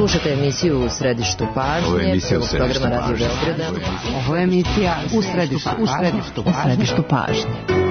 Slušate emisiju U središtu pažnje, prvog programa Radio Beograda. Ovo je emisija U središtu pažnje.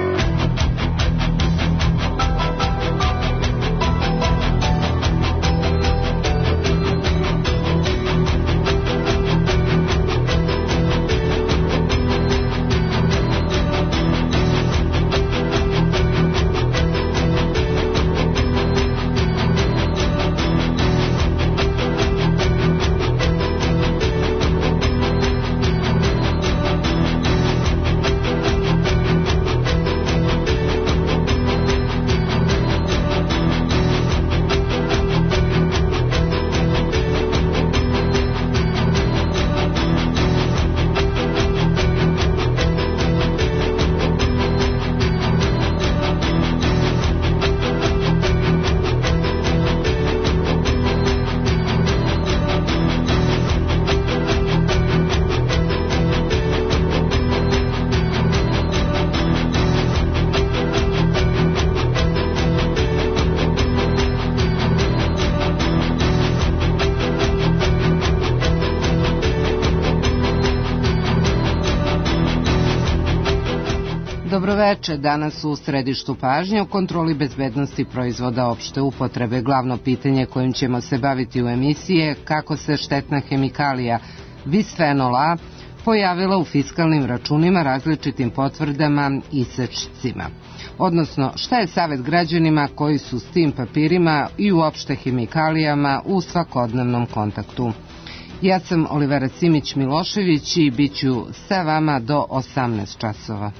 Dobroveče, danas u središtu pažnje o kontroli bezbednosti proizvoda opšte upotrebe. Glavno pitanje kojim ćemo se baviti u emisiji je kako se štetna hemikalija bisfenol A pojavila u fiskalnim računima, različitim potvrdama i sečcima. Odnosno, šta je savjet građanima koji su s tim papirima i uopšte hemikalijama u svakodnevnom kontaktu. Ja sam Olivera Simić-Milošević i bit ću sa vama do 18 časova.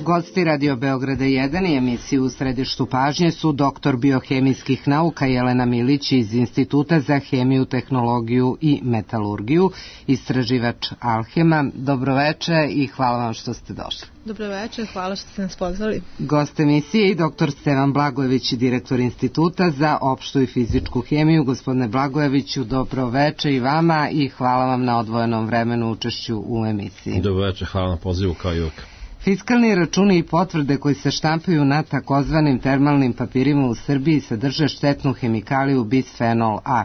Gosti Radio Beograda 1 i emisiju U središtu pažnje su doktor biohemijskih nauka Jelena Milić iz Instituta za hemiju, tehnologiju i metalurgiju, istraživač Alhema. Dobroveče i hvala vam što ste došli. Dobroveče, hvala što ste nas pozvali. Gost emisije i doktor Stevan Blagojević, direktor Instituta za opštu i fizičku hemiju. Gospodine Blagojeviću, dobroveče i vama i hvala vam na odvojenom vremenu učešću u emisiji. Dobroveče, hvala na pozivu kao i uvijek. Fiskalni računi i potvrde koji se štampaju na takozvanim termalnim papirima u Srbiji sadrže štetnu hemikaliju bisfenol A.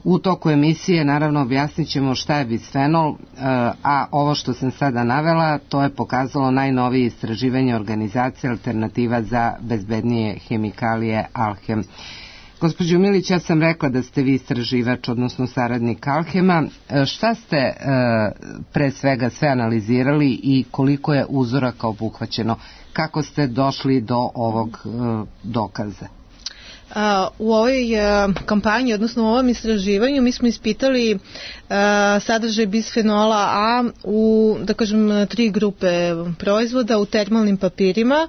U toku emisije naravno objasnit ćemo šta je bisfenol, a ovo što sam sada navela to je pokazalo najnovije istraživanje organizacije Alternativa za bezbednije hemikalije Alhem. Gospođo Milić, ja sam rekla da ste vi istraživač, odnosno saradnik Alhema. Šta ste pre svega sve analizirali i koliko je uzoraka obuhvaćeno? Kako ste došli do ovog dokaza? U ovoj kampanji, odnosno u ovom istraživanju, mi smo ispitali sadržaj bisfenola A u, da kažem, 3 grupe proizvoda, u termalnim papirima,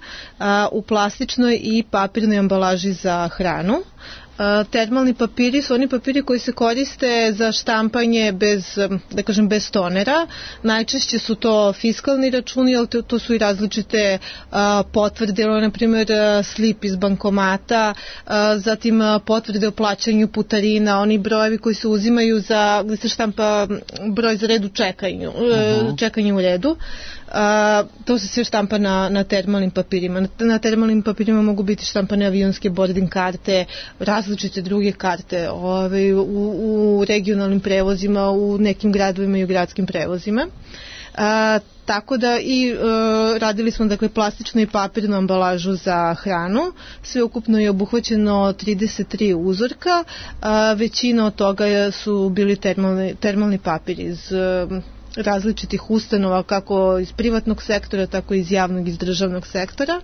u plastičnoj i papirnoj ambalaži za hranu. Termalni papiri su oni papiri koji se koriste za štampanje bez tonera. Najčešće su to fiskalni računi, ali to su i različite potvrde, na primjer slip iz bankomata, zatim potvrde o plaćanju putarina, oni brojevi koji se uzimaju gde se štampa broj za red u čekanju u redu. To se sve štampa na termalnim papirima. Na termalnim papirima mogu biti štampane avionske boarding karte, različite druge karte u regionalnim prevozima, u nekim gradovima i u gradskim prevozima. Tako da i radili smo plastičnu i papirnu ambalažu za hranu. Sve ukupno je obuhvaćeno 33 uzorka. Većina od toga su bili termalni papir iz različitih ustanova, kako iz privatnog sektora, tako i iz javnog i iz državnog sektora.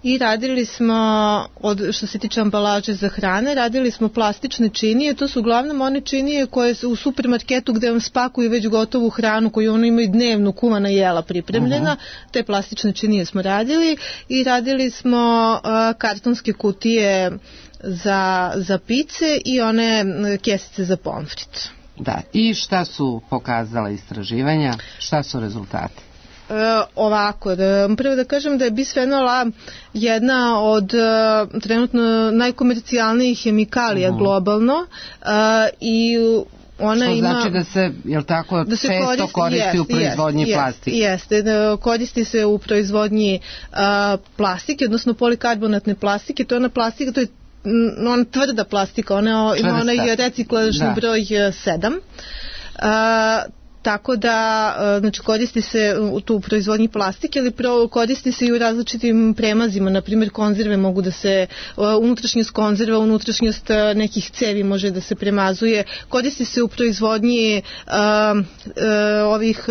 I radili smo, što se tiče ambalaže za hrane, radili smo plastične činije. To su uglavnom one činije koje su u supermarketu gde vam spakuju već gotovu hranu koju ono imaju dnevno kuvana jela pripremljena. Te plastične činije smo radili smo kartonske kutije za pice i one kesice za pomfrit. Da, i šta su pokazala istraživanja, šta su rezultati? Ovako, prvo da kažem da je bisfenol A jedna od trenutno najkomercijalnijih hemikalija globalno i ona što ima, znači da se, jel tako, da se često koristi u proizvodnji plastike. Jeste, koristi se u proizvodnji plastike, odnosno polikarbonatne plastike. To je ona plastika, to je ona tvrda plastika, ona ima onaj reciklažni broj 7. Tako da, znači, koristi se u proizvodnji plastike, ali koristi se i u različitim premazima, na primjer konzerve mogu da se, unutrašnjost konzerva, unutrašnjost nekih cevi može da se premazuje, koristi se u proizvodnji ovih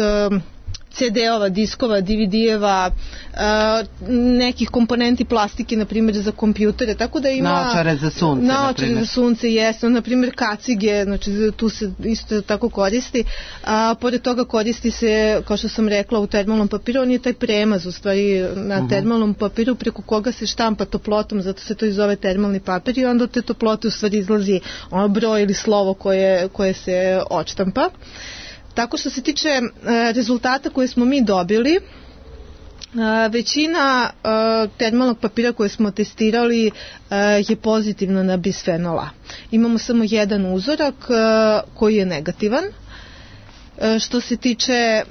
CD-ova, diskova, DVD-eva, nekih komponenti plastike, na primjer za kompjutere, tako da ima... Naočare za sunce, naočare za sunce, jesu, na primjer kacige, znači tu se isto tako koristi, pored toga koristi se, kao što sam rekla, u termalnom papiru, on je taj premaz, u stvari, na termalnom papiru, preko koga se štampa toplotom, zato se to i zove termalni papir, i onda od te toplote u stvari izlazi ono broj ili slovo koje se odštampa. Tako što se tiče rezultata koje smo mi dobili, većina termalnog papira koje smo testirali je pozitivno na bisfenol A. Imamo samo jedan uzorak koji je negativan. Što se tiče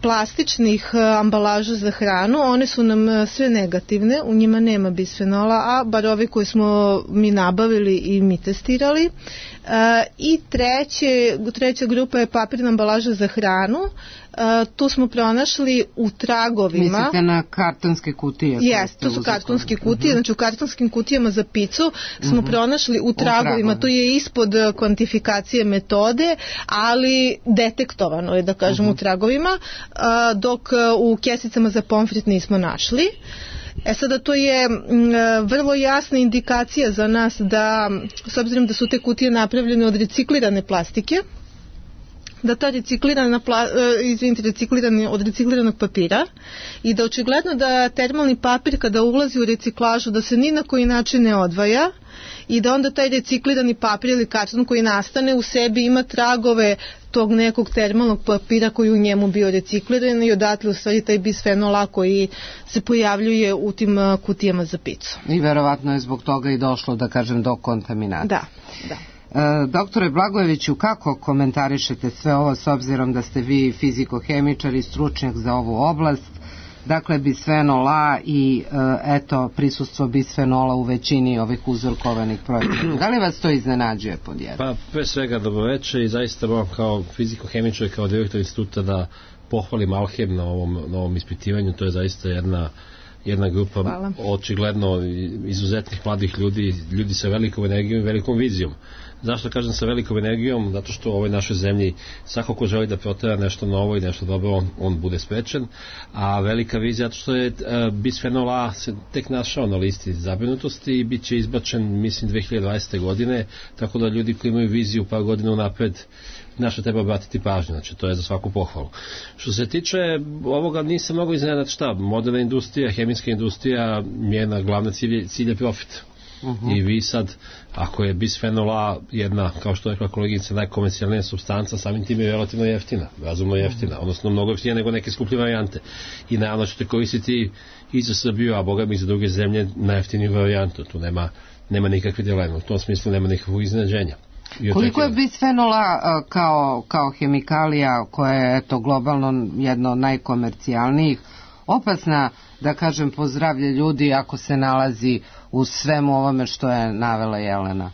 plastičnih ambalaža za hranu, one su nam sve negativne, u njima nema bisfenola A, bar ove koje smo mi nabavili i mi testirali. I treća grupa je papirna ambalaža za hranu. Tu smo pronašli u tragovima. Mislite na kartonske kutije? Jeste, to su kartonske kutije, znači u kartonskim kutijama za picu smo pronašli u tragovima, to je ispod kvantifikacije metode, ali detektovano je, da kažem, u tragovima, dok u kesicama za pomfrit nismo našli. Sada to je vrlo jasna indikacija za nas da, s obzirom da su te kutije napravljene od reciklirane plastike, da ta reciklirani od recikliranog papira, i da očigledno da termalni papir kada ulazi u reciklažu da se ni na koji način ne odvaja i da onda taj reciklirani papir ili karton koji nastane u sebi ima tragove tog nekog termalnog papira koji u njemu bio recikliran, i odatle u stvari taj bisfenol A koji se pojavljuje u tim kutijama za picu. I verovatno je zbog toga i došlo, da kažem, do kontaminacije. Da. Doktore Blagojeviću, kako komentarišete sve ovo s obzirom da ste vi fizikohemičar i stručnjak za ovu oblast? Dakle, bisfenol A i prisustvo bisfenola u većini ovih uzorkovanih proizvoda. Da li vas to iznenađuje pod jedan? Pa, pre svega dobroveče, i zaista moram kao fizikohemičar i kao direktor instituta da pohvalim Alhem na ovom ispitivanju. To je zaista jedna grupa očigledno izuzetnih mladih ljudi sa velikom energijom i velikom vizijom. Zašto kažem sa velikom energijom? Zato što u ovoj našoj zemlji svako ko želi da protera nešto novo i nešto dobro, on bude sprečen, a velika vizija zato što je bisfenol A se tek našao na listi zabrinutosti i bit će izbačen, mislim, 2020. godine, tako da ljudi koji imaju viziju par godina unapred naše treba obratiti pažnju, znači to je za svaku pohvalu. Što se tiče ovoga, nisam mnogo iznenađen, šta, moderna industrija, hemijska industrija, njena glavna cilj je profit. I vi sad, ako je bisfenol A jedna, kao što je rekla koleginica, najkomercijalnija supstanca, samim tim je relativno jeftina, razumno jeftina, odnosno mnogo jeftina nego neke skuplje varijante. I naravno ćete koristiti i za Srbiju, a boga mi i za druge zemlje, najjeftiniju varijantu. Tu nema nikakve dileme, u tom smislu nema nikakvog iznenađenja. Koliko je bisfenol A kao hemikalija koja je globalno jedno od najkomercijalnijih opasna, da kažem, po zdravlje ljudi ako se nalazi u svemu ovome što je navela Jelena?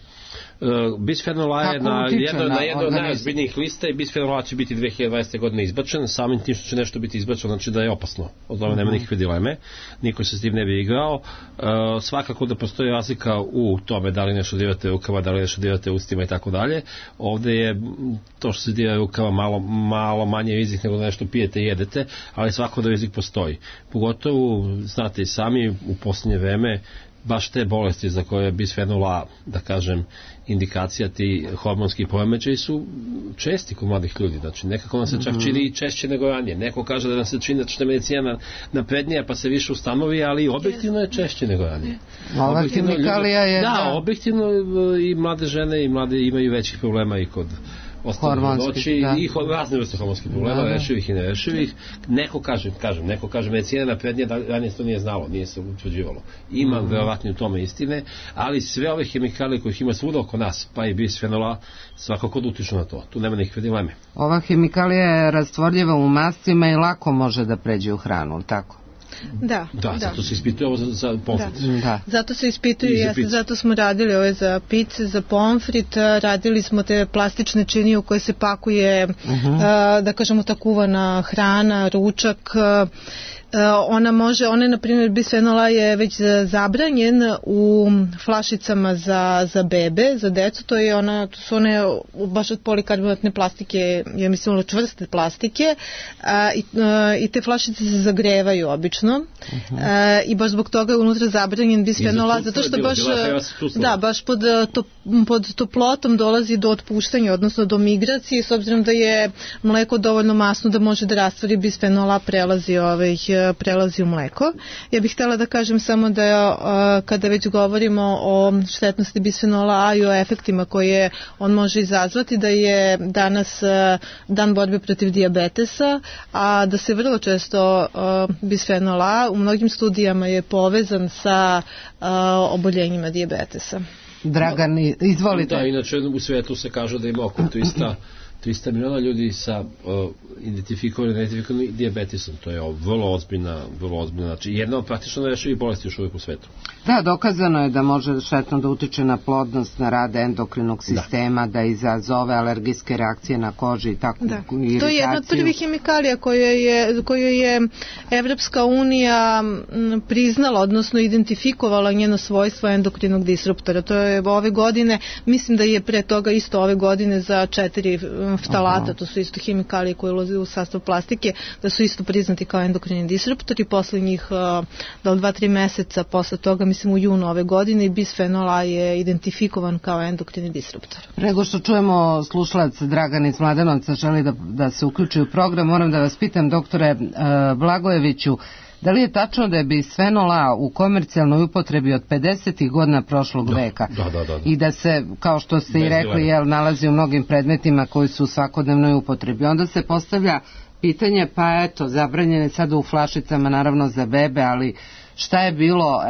Bisfenol A je na jednoj od najozbiljnijih lista i bisfenol A će biti 2020. godine izbačen, samim tim što će nešto biti izbačeno, znači da je opasno. Od tome nema nikakve dileme, niko se s tim ne bi igrao. Svakako da postoji razlika u tome da li nešto dirate rukama, da li nešto dirate ustima i tako dalje. Ovde je to što se dira rukama malo manje rizik nego da nešto pijete i jedete, ali svako da rizik postoji. Pogotovo, znate i sami, u posljednje vreme baš te bolesti za koje je bisfenol A, da kažem, indikacija, ti hormonski poremećaji su česti kod mladih ljudi. Znači, nekako nam se čak čini i češće nego ranije. Neko kaže da nam se čini da što je medicina naprednija pa se više ustanovi, ali objektivno je češće nego ranije. Ova hemikalija je... Da, objektivno i mlade žene i mlade imaju većih problema i kod ostane noći i razne vrste hormonskih problema, rešivih i nerešivih. Neko kaže, medicina naprednija, ranije to nije znalo, nije se utvrđivalo. Ima verovatno u tome istine, ali sve ove hemikalije kojih ima svuda oko nas, pa i bisfenol A, svakako da utiču na to. Tu nema nikakve dileme. Ova hemikalija je rastvorljiva u mastima i lako može da pređe u hranu, tako? Da, zato se ispituje ovo za pomfrit. Zato se ispituje, zato smo radili ove za pice, za pomfrit, radili smo te plastične činije u koje se pakuje, da kažemo, ta kuvana hrana, ručak. Ona na primjer, bisfenol A je već zabranjen u flašicama za bebe, za decu, to su one baš od polikarbonatne plastike, ja mislim čvrste plastike, i te flašice se zagrevaju obično, i baš zbog toga je unutra zabranjen bisfenol A, zato što baš pod toplotom dolazi do otpuštanja, odnosno do migracije, s obzirom da je mleko dovoljno masno da može da rastvori bisfenol A, prelazi u mleko. Ja bih htjela da kažem samo da kada već govorimo o štetnosti bisfenola A i o efektima koje on može izazvati, da je danas dan borbe protiv dijabetesa, a da se vrlo često bisfenol A u mnogim studijama je povezan sa oboljenjima dijabetesa. Dragan, izvolite. Da, inače u svijetu se kaže da ima oko 300 miliona ljudi sa identifikovanim dijabetesom. To je vrlo ozbiljna, znači jedna od praktično nerešivih bolesti još uvijek u svetu. Da, dokazano je da može štetno da utiče na plodnost, na rad endokrinog sistema, da izazove alergijske reakcije na koži i tako iritaciju. To je jedna od prvih hemikalija koju je Evropska unija priznala, odnosno identifikovala njeno svojstvo endokrinog disruptora. To je ove godine, mislim da je pre toga isto ove godine za 4 ftalata, to su isto hemikalije koje ulaze u sastav plastike, da su isto priznati kao endokrini disruptori. Poslednjih 2-3 meseca posle toga, mislim u junu ove godine, i bisfenol A je identifikovan kao endokrini disruptor. Prego što čujemo slušalac Dragan iz Mladenovca želi da se uključi u program, moram da vas pitam, doktore Blagojeviću, da li je tačno da je bisfenol A u komercijalnoj upotrebi od 50. godina prošlog veka? Da. I da se, kao što ste i rekli, nalazi u mnogim predmetima koji su u svakodnevnoj upotrebi. Onda se postavlja pitanje, pa eto, zabranjene sada u flašicama, naravno za bebe, ali šta je bilo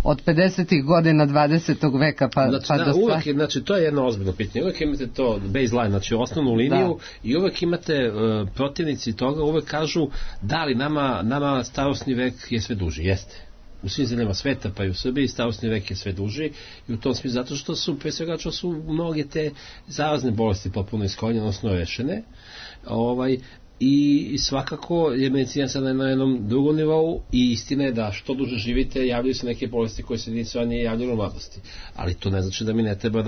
od 50. godina 20. veka pa do sada? Znači, to je jedno ozbiljno pitanje. Uvijek imate to baseline, znači osnovnu liniju, i uvijek imate protivnici toga, uvijek kažu da li nama starosni vek je sve duži. Jeste. U svim zemljama sveta, pa i u Srbiji, starosni vek je sve duži, i u tom smislu zato što su, pre svega, mnoge te zarazne bolesti potpuno iskorenjene, odnosno rešene. I svakako je medicina sada na jednom drugom nivou, i istina je da što duže živite javljaju se neke bolesti koje se nije javljaju u mladosti, ali to ne znači da mi ne treba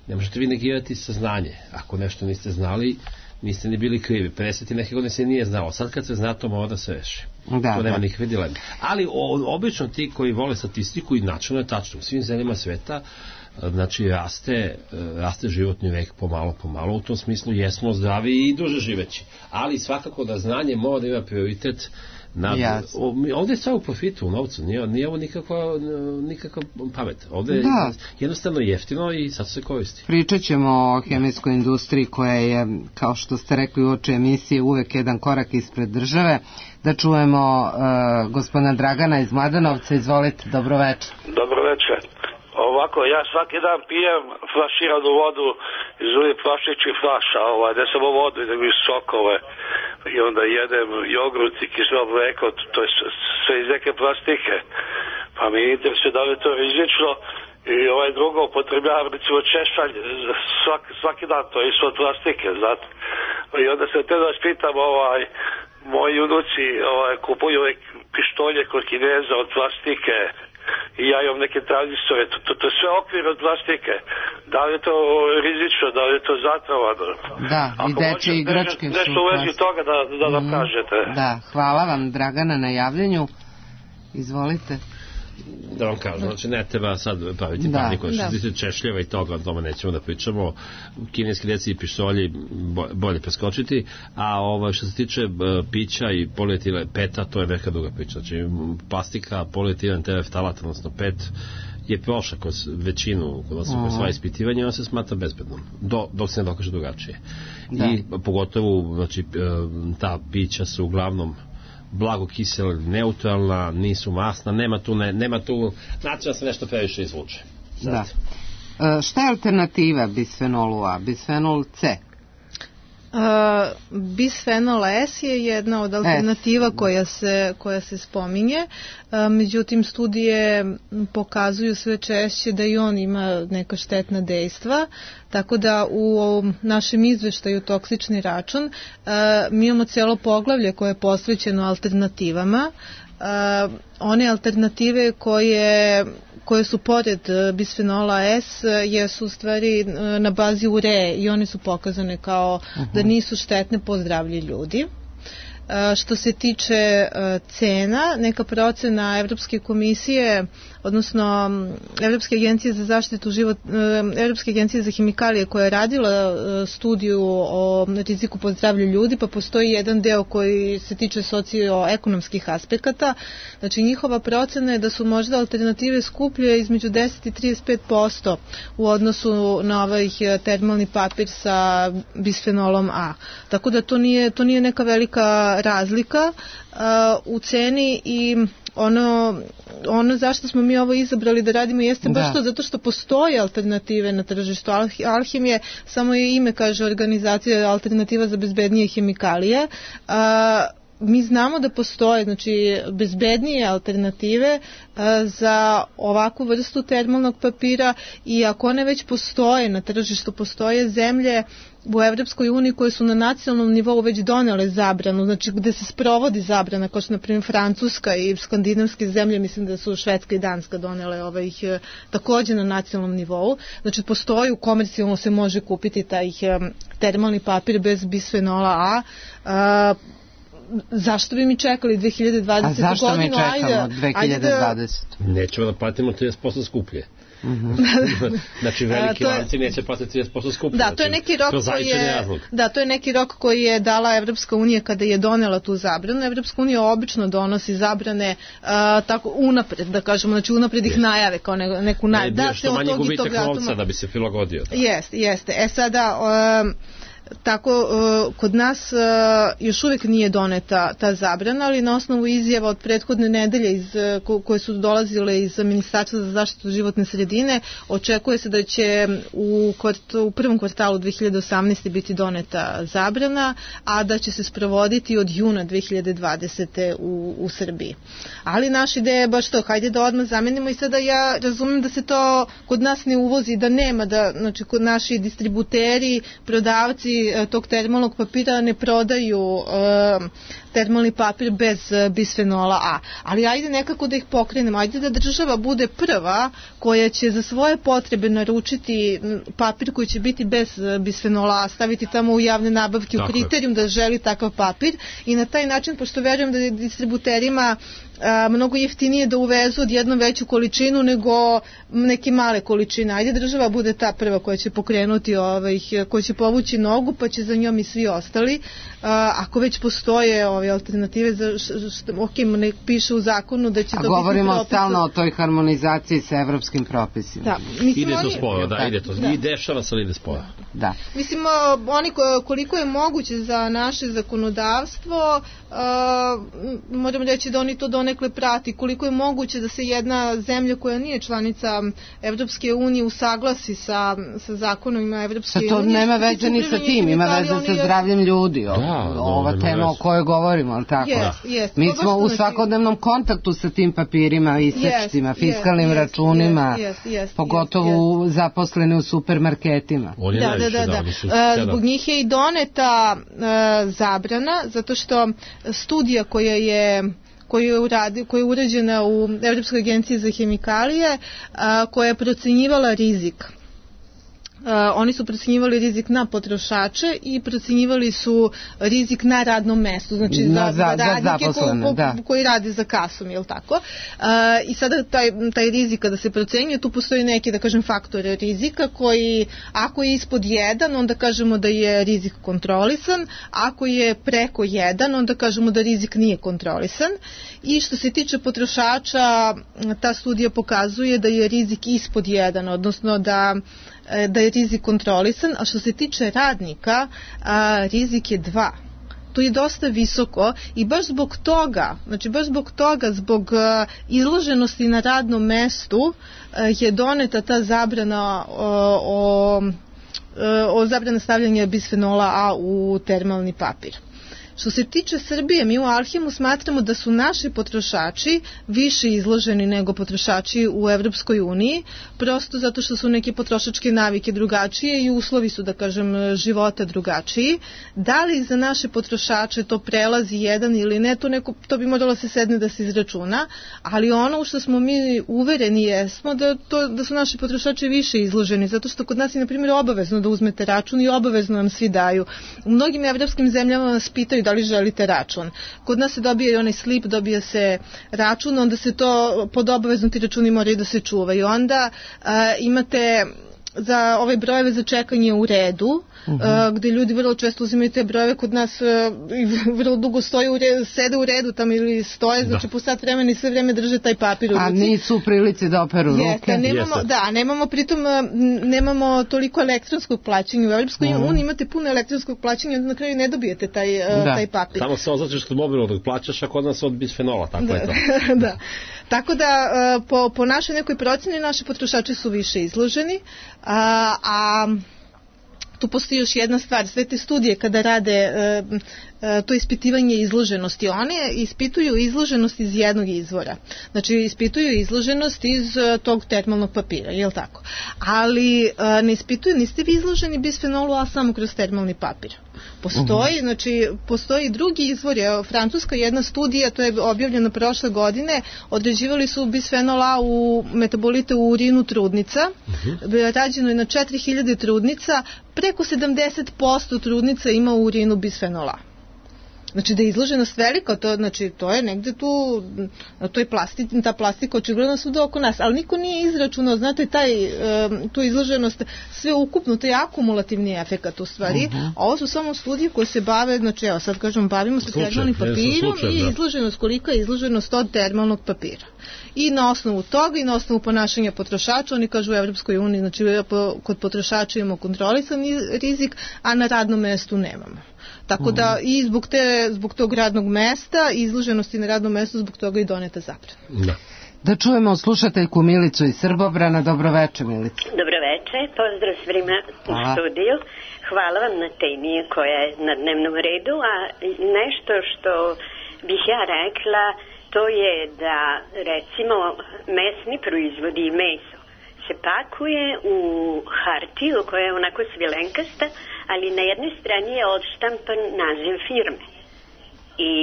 ne možete vi negirati saznanje. Ako nešto niste znali, niste ni bili krivi. 50 neke godine se nije znalo, sad kad se zna, to mora da se reši. To nema nikakve dileme. Ali obično ti koji vole statistiku, i načelno je tačno, u svim zemljama sveta, znači raste životni vek pomalo, u tom smislu jesmo zdravi i duže živeći, ali svakako da znanje mora da ima prioritet ovdje je sve u profitu, u novcu, nije ovo nikakva pamet, ovdje je jednostavno jeftino i sad se koristi. Pričat ćemo o hemijskoj industriji koja je, kao što ste rekli u oči emisije, uvek jedan korak ispred države. Da čujemo gospodina Dragana iz Mladenovca. Izvolite, dobro večer. Dobro večer. Ovako, ja svaki dan pijem flaširanu vodu iz ovih plastičnih flaša, ne samo vodu, nego i sokove, i onda jedem jogurt i kiselo mleko, to je sve iz neke plastike. Pa mi interesuje da li je to rizično, i drugo, upotrebljavam recimo češalj svaki dan, to je isto od plastike, znate. I onda se te da vas pitam, moji unuci kupuju pištolje kod Kineza od plastike, i ja imam neke tranzistore, to je sve okvir od plastike. Da li je to rizično, da li je to zatrovano? Da, i dečje igračke su nešto u vezi toga da nam kažete. Da, hvala vam Dragana na javljanju. Izvolite. Da vam kažem, znači ne treba sad praviti paniku, što se tiče češljeva i toga, o tome nećemo da pričamo, kineski deci i pištolji bolje preskočiti, a što se tiče pića i polietile peta, to je neka druga priča, znači plastika, polietilen tereftalat, odnosno PET, je prošla kroz većinu, kroz sva ispitivanja i on se smatra bezbednom, dok se ne dokaže drugačije. I pogotovo, znači, ta pića su uglavnom blago kisela, neutralna, nisu masna, nema tu način da se nešto previše izvuče. Da. Šta je alternativa bisfenolu A? Bisfenol C? Bisfenol S je jedna od alternativa koja se spominje, međutim studije pokazuju sve češće da i on ima neka štetna dejstva, tako da u našem izveštaju Toksični račun mi imamo cijelo poglavlje koje je posvećeno alternativama. One alternative koje su pored bisfenola S jesu u stvari na bazi ureje i one su pokazane kao da nisu štetne po zdravlje ljudi. Što se tiče cena, neka procena Evropske komisije, odnosno Evropske agencije za zaštitu Evropske agencije za hemikalije koja je radila studiju o riziku po zdravlje ljudi, pa postoji jedan deo koji se tiče socioekonomskih aspekata. Znači njihova procena je da su možda alternative skuplje između 10 i 35% u odnosu na ovaj termalni papir sa bisfenolom A. Tako da to nije neka velika razlika u ceni i ono zašto smo mi ovo izabrali da radimo jeste baš to zato što postoje alternative na tržištu. Alhemije, samo je ime kaže organizacija alternativa za bezbednije hemikalije. Mi znamo da postoje znači bezbednije alternative za ovakvu vrstu termalnog papira i ako one već postoje na tržištu, postoje zemlje u Evropskoj uniji koje su na nacionalnom nivou već donele zabranu, znači gde se sprovodi zabrana, kao što na primjer Francuska i skandinavske zemlje, mislim da su Švedska i Danska donele takođe na nacionalnom nivou, znači postoji, komercijalno se može kupiti taj termalni papir bez bisfenola A. Zašto bi mi čekali 2020. godinu? A zašto mi čekamo 2020? Nećemo da platimo 30% skuplje. Znači veliki lanci neće platiti 30% skuplje. Da, to je neki rok koji je dala Evropska unija kada je donela tu zabranu. Evropska unija obično donosi zabrane tako unapred, da kažemo, znači unapred ih najave kao neku najavu. Da, što manje gubitak novca da bi se prilagodio. Jeste. Sada tako kod nas još uvijek nije doneta ta zabrana, ali na osnovu izjava od prethodne nedelje koje su dolazile iz Ministarstva za zaštitu životne sredine, očekuje se da će u prvom kvartalu 2018. biti doneta zabrana, a da će se sprovoditi od juna 2020. u Srbiji. Ali naša ideja je baš to, hajde da odmah zamenimo i sada ja razumem da se to kod nas ne uvozi, da nema, da znači kod naši distributeri, prodavci tog termalnog papira ne prodaju termalni papir bez bisfenola A. Ali ajde nekako da ih pokrenemo, ajde da država bude prva koja će za svoje potrebe naručiti papir koji će biti bez bisfenola A, staviti tamo u javne nabavke u kriterijum da želi takav papir i na taj način, pošto verujem da je distributerima mnogo jeftinije da uvezu odjednom veću količinu nego neke male količine. Ajde država bude ta prva koja će pokrenuti, koja će povući nogu, pa će za njom i svi ostali. Ako već postoje ove alternative, ne piše u zakonu da će to biti propis. A govorimo stalno o toj harmonizaciji sa evropskim propisima. Da, ide to sporo, ide to. I dešava se, ali ide sporo. Da. Mislim, oni koliko je moguće za naše zakonodavstvo, moram reći da oni to donekle prati, koliko je moguće da se jedna zemlja koja nije članica Evropske unije usaglasi sa zakonovima Evropske unije. To nema veze ni sa tim, ima veze sa zdravljem ljudi. Ova tema o kojoj govorimo, ali tako? Mi smo u svakodnevnom kontaktu sa tim papirima, isečcima, fiskalnim računima, pogotovo zaposleni u supermarketima. Da. Zbog njih je i doneta zabrana, zato što studija koja je urađena u Evropskoj agenciji za hemikalije, koja je procenjivala rizik oni su procenjivali rizik na potrošače i procenjivali su rizik na radnom mestu, znači za radnike koji radi za kasom, je li tako? I sada taj rizik kada se procenjuje, tu postoji neki, da kažem, faktor rizika koji, ako je ispod 1, onda kažemo da je rizik kontrolisan, ako je preko 1, onda kažemo da rizik nije kontrolisan. I što se tiče potrošača, ta studija pokazuje da je rizik ispod 1, odnosno da je rizik kontrolisan, a što se tiče radnika, rizik je 2. To je dosta visoko i baš zbog toga, zbog izloženosti na radnom mestu je doneta ta zabrana o zabrana stavljanja bisfenola A u termalni papir. Što se tiče Srbije, mi u Alhemu smatramo da su naši potrošači više izloženi nego potrošači u Evropskoj uniji, prosto zato što su neke potrošačke navike drugačije i uslovi su, da kažem, života drugačiji. Da li za naše potrošače to prelazi 1 ili ne, to bi moralo se sedne da se izračuna, ali ono u što smo mi uvereni jesmo da su naši potrošači više izloženi, zato što kod nas je, na primjer, obavezno da uzmete račun i obavezno nam svi daju. U mnogim evropskim zemljama vas pitaju da li želite račun. Kod nas se dobije i onaj slip, dobija se račun, onda se to pod obavezno ti računi moraju da se čuvaju. Onda imate za ove brojeve za čekanje u redu, gde ljudi vrlo često uzimaju te brojeve, kod nas vrlo dugo sede u redu tamo ili stoje, znači po sat vremena i sve vreme drže taj papir u ruci. A nisu u prilici da operu ruke. Nemamo toliko elektronskog plaćanja. U Evropskoj uniji imate puno elektronskog plaćanja, onda na kraju ne dobijete taj papir. Samo se označiš kod mobilnog dok plaćaš, a kod nas od bisfenola, tako je to. Da. Tako da po našoj nekoj proceni naši potrošači su više izloženi, a tu postoji još jedna stvar, sve te studije kada rade to ispitivanje izloženosti, one ispituju izloženost iz jednog izvora. Znači ispituju izloženost iz tog termalnog papira, je li tako? Ali ne ispituju, niste vi izloženi bisfenolu A samo kroz termalni papir. Postoji drugi izvor. Francuska jedna studija, to je objavljeno prošle godine, određivali su bisfenol A u metabolite u urinu trudnica. Rađeno je na 4000 trudnica, preko 70% trudnica ima u urinu bisfenol A. Znači da je izloženost velika, to je negde tu, ta plastika očigledno svuda oko nas, ali niko nije izračunao, znate, tu izloženost, sve ukupno, to je akumulativni efekat u stvari, a ovo su samo studije koje se bave, znači evo sad kažem, bavimo se termalnim papirom i izloženost, kolika je izloženost od termalnog papira. I na osnovu toga i na osnovu ponašanja potrošača, oni kažu u Evropskoj uniji, znači kod potrošača imamo kontrolisan rizik, a na radnom mestu nemamo. Tako da i zbog tog radnog mesta i izloženosti na radnom mestu, zbog toga i doneta zabrana. Da čujemo slušateljku Milicu iz Srbobrana. Dobroveče, Milica. Dobroveče, pozdrav svima u studiju. Hvala vam na temi koja je na dnevnom redu, a nešto što bih ja rekla, to je da recimo mesni proizvodi i meso se pakuje u hartiju koja je onako svilenkasta, ali na jednoj strani je odštampan naziv firme. I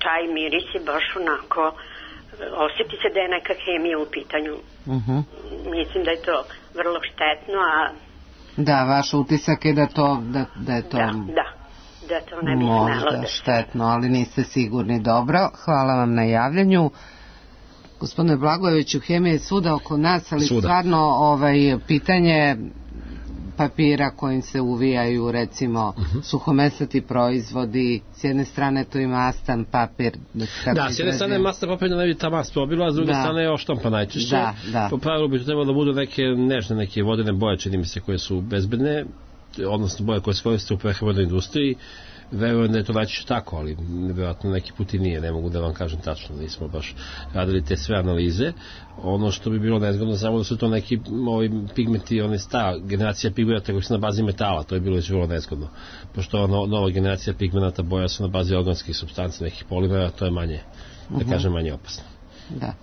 taj miris je baš onako, osjeti se da je neka hemija u pitanju. Mislim da je to vrlo štetno, a... Da, vaš utisak je da je to... Da to ne bi smelo. Možda štetno, ali niste sigurni. Dobro, hvala vam na javljanju. Gospodine Blagojeviću, hemija je svuda oko nas, ali stvarno pitanje papira kojim se uvijaju, recimo, suhomesnati proizvodi, s jedne strane to je mastan papir. S jedne strane je mastan papir da ne bi ta mast probila, a s druge strane je oštampa najčešće. Po pravilu bi to trebalo da budu neke nežne, neke vodene boje, čini mi se, koje su bezbedne, odnosno boje koje se koriste u prehrambenoj industriji. Verujem da je to najčešće tako, ali nevjerojatno neki put i nije, ne mogu da vam kažem tačno, nismo baš radili te sve analize. Ono što bi bilo nezgodno samo da su to neki pigmenti, ta generacija pigmenta koji su na bazi metala, to je bilo već vrlo nezgodno, pošto nova generacija pigmenta boja su na bazi organskih supstanci, nekih polimera, to je manje, da kažem, manje opasno. Da.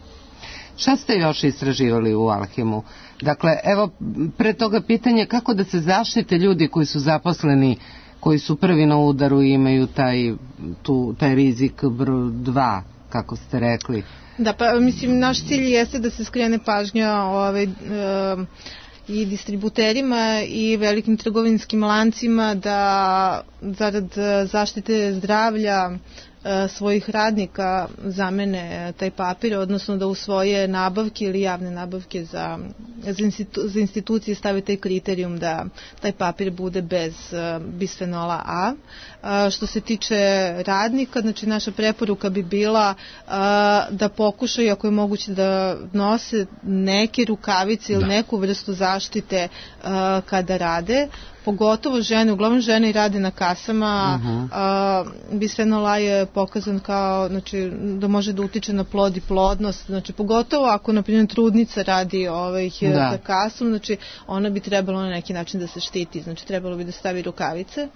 Šta ste još istraživali u Alhemu? Dakle, evo, pre toga pitanje kako da se zaštite ljudi koji su zaposleni, koji su prvi na udaru i imaju taj rizik broj 2, kako ste rekli. Da, pa mislim, naš cilj jeste da se skrene pažnja i distributerima i velikim trgovinskim lancima da zarad zaštite zdravlja svojih radnika zamene taj papir, odnosno da u svoje nabavke ili javne nabavke za institucije stave taj kriterijum da taj papir bude bez bisfenola A. Što se tiče radnika, znači naša preporuka bi bila da pokušaju, ako je moguće, da nose neke rukavice ili neku vrstu zaštite kada rade. Pogotovo žene, uglavnom žene i rade na kasama. Bisfenol A je pokazan kao, znači, da može da utiče na plod i plodnost, znači pogotovo ako, na primjer, trudnica radi za kasom, znači ona bi trebalo na neki način da se štiti, znači trebalo bi da stavi rukavice.